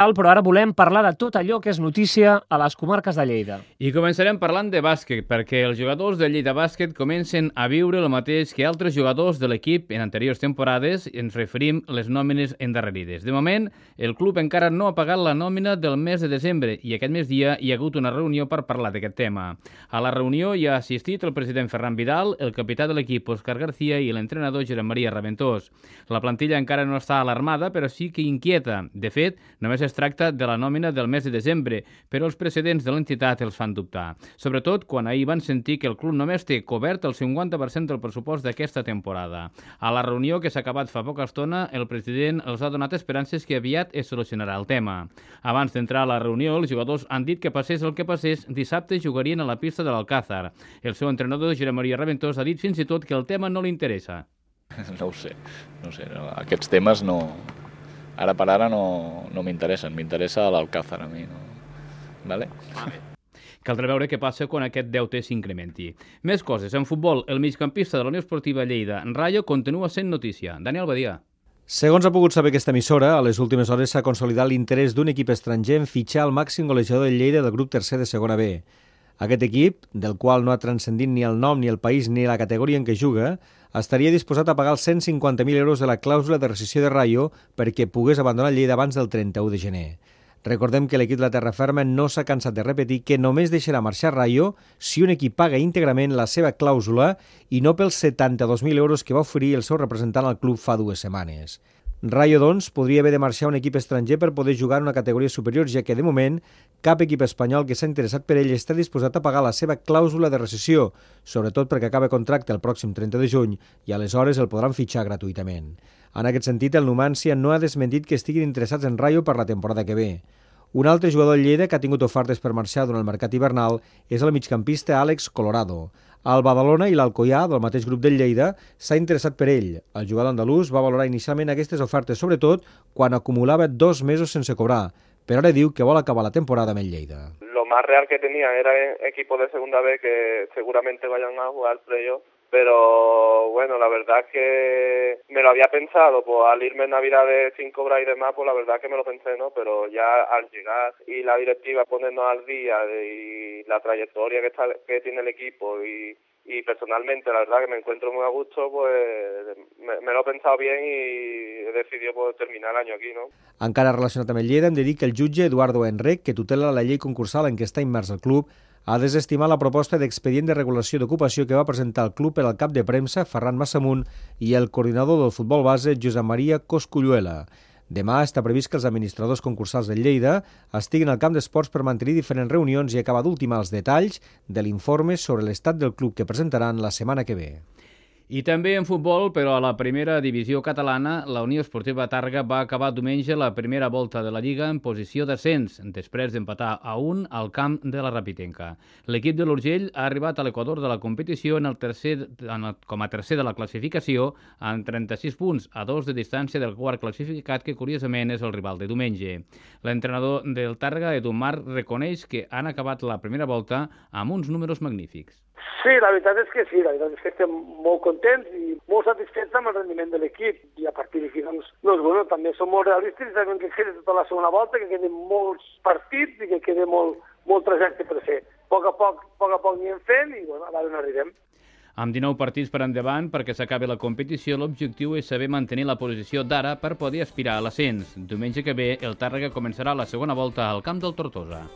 Però ara volem parlar de tot allò que és notícia a les comarques de Lleida. I començarem parlant de bàsquet, perquè els jugadors de Lleida Bàsquet comencen a viure el mateix que altres jugadors de l'equip en anteriors temporades. Ens referim a les nòmines endarrerides. De moment, el club encara no ha pagat la nòmina del mes de desembre i aquest migdia hi ha hagut una reunió per parlar d'aquest tema. A la reunió hi ha assistit el president Ferran Vidal, el capità de l'equip Òscar García i l'entrenador Josep Maria Raventós. La plantilla encara no està alarmada, però sí que inquieta. De fet, només es tracta de la nòmina del mes de desembre, però els precedents de l'entitat els fan dubtar. Sobretot quan ahir van sentir que el club només té cobert el 50% del pressupost d'aquesta temporada. A la reunió que s'ha acabat fa poca estona, el president els ha donat esperances que aviat es solucionarà el tema. Abans d'entrar a la reunió, els jugadors han dit que passés el que passés, dissabte jugarien a la pista de l'Alcázar. El seu entrenador, Josep Maria Raventós, ha dit fins i tot que el tema no li interessa. No ho sé. Aquests temes no... Ara per ara no m'interessen, m'interessa l'Alcázar a mi. No? Vale? Caldrà veure què passa quan aquest deute s'incrementi. Més coses. En futbol, el migcampista de la Unió Esportiva Lleida, Rayo, continua sent notícia. Daniel Badia. Segons ha pogut saber aquesta emissora, a les últimes hores s'ha consolidat l'interès d'un equip estranger en fitxar el màxim golejador del Lleida del grup tercer de segona B. Aquest equip, del qual no ha transcendit ni el nom, ni el país, ni la categoria en què juga, estaria disposat a pagar els 150.000 euros de la clàusula de rescissió de Rayo perquè pogués abandonar Lleida abans del 31 de gener. Recordem que l'equip de la Terra Ferma no s'ha cansat de repetir que només deixarà marxar Rayo si un equip paga íntegrament la seva clàusula i no pels 72.000 euros que va oferir el seu representant al club fa 2 setmanes. Rayo, doncs, podria haver de marxar a un equip estranger per poder jugar en una categoria superior, ja que, de moment, cap equip espanyol que s'ha interessat per ell està disposat a pagar la seva clàusula de rescissió, sobretot perquè acaba contracte el pròxim 30 de juny i aleshores el podran fitxar gratuïtament. En aquest sentit, el Numancia no ha desmentit que estiguin interessats en Rayo per la temporada que ve. Un altre jugador del Lleida que ha tingut ofertes per marxar durant el mercat hivernal és el migcampista Àlex Colorado. El Badalona i l'Alcoià, del mateix grup del Lleida, s'ha interessat per ell. El jugador andalús va valorar inicialment aquestes ofertes, sobretot quan acumulava 2 mesos sense cobrar, però ara diu que vol acabar la temporada amb el Lleida. Lo más real que tenía era equipos de segunda B que seguramente vayan a jugar playoff. Pero bueno, la verdad es que me lo había pensado, pues al irme en Navidades sin cobrar y demás, pues la verdad es que me lo pensé, ¿no? Pero ya al llegar y la directiva ponernos al día y la trayectoria que tiene el equipo y personalmente la verdad que me encuentro muy a gusto, pues me lo he pensado bien y he decidido pues, terminar el año aquí, ¿no? Encara relacionat amb el Lleida, hem de dir que el jutge Eduardo Enrec, que tutela la llei concursal en què està immers el club, ha desestimat la proposta d'expedient de regulació d'ocupació que va presentar el club per al cap de premsa, Ferran Massamunt, i el coordinador del futbol base, Josep Maria Cosculluela. Demà està previst que els administradors concursals del Lleida estiguin al camp d'esports per mantenir diferents reunions i acabar d'ultimar els detalls de l'informe sobre l'estat del club que presentaran la setmana que ve. I també en futbol, però a la primera divisió catalana, la Unió Esportiva Tàrrega va acabar diumenge la primera volta de la Lliga en posició d'ascens, després d'empatar a 1 al camp de la Rapitenca. L'equip de l'Urgell ha arribat a l'equador de la competició com a tercer de la classificació, amb 36 punts, a 2 de distància del quart classificat, que curiosament és el rival de diumenge. L'entrenador del Tàrrega, Edu Mar, reconeix que han acabat la primera volta amb uns números magnífics. Sí, la veritat és que sí, la veritat és que estem molt contents i molt satisfets amb el rendiment de l'equip i a partir d'aquí doncs bueno, també som molt realistes i sabem que queda tota la segona volta, que queden molts partits i que queda molt trajecte per fer. A poc a poc anirem fent i bueno, a veure on arribem. Amb 19 partits per endavant perquè s'acabi la competició, l'objectiu és saber mantenir la posició d'ara per poder aspirar a l'ascens. Diumenge que ve, el Tàrrega començarà la segona volta al camp del Tortosa.